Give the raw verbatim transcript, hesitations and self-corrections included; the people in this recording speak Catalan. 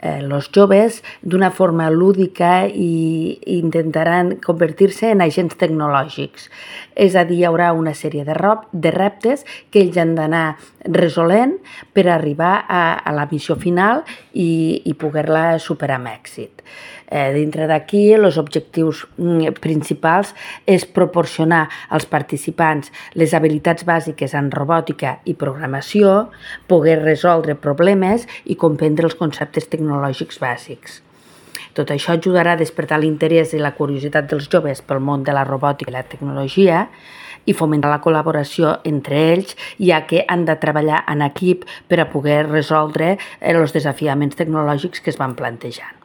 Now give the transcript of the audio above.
Els joves d'una forma lúdica i intentaran convertir-se en agents tecnològics. És a dir, hi haurà una sèrie de, rob, de reptes que ells han d'anar resolent per arribar a, a la missió final i, i poder-la superar amb èxit. Eh, dintre d'aquí, els objectius principals és proporcionar als participants les habilitats bàsiques en robòtica i programació, poder resoldre problemes i comprendre els conceptes tecnològics bàsics. Tot això ajudarà a despertar l'interès i la curiositat dels joves pel món de la robòtica i la tecnologia i fomentar la col·laboració entre ells, ja que han de treballar en equip per a poder resoldre els desafiaments tecnològics que es van plantejant.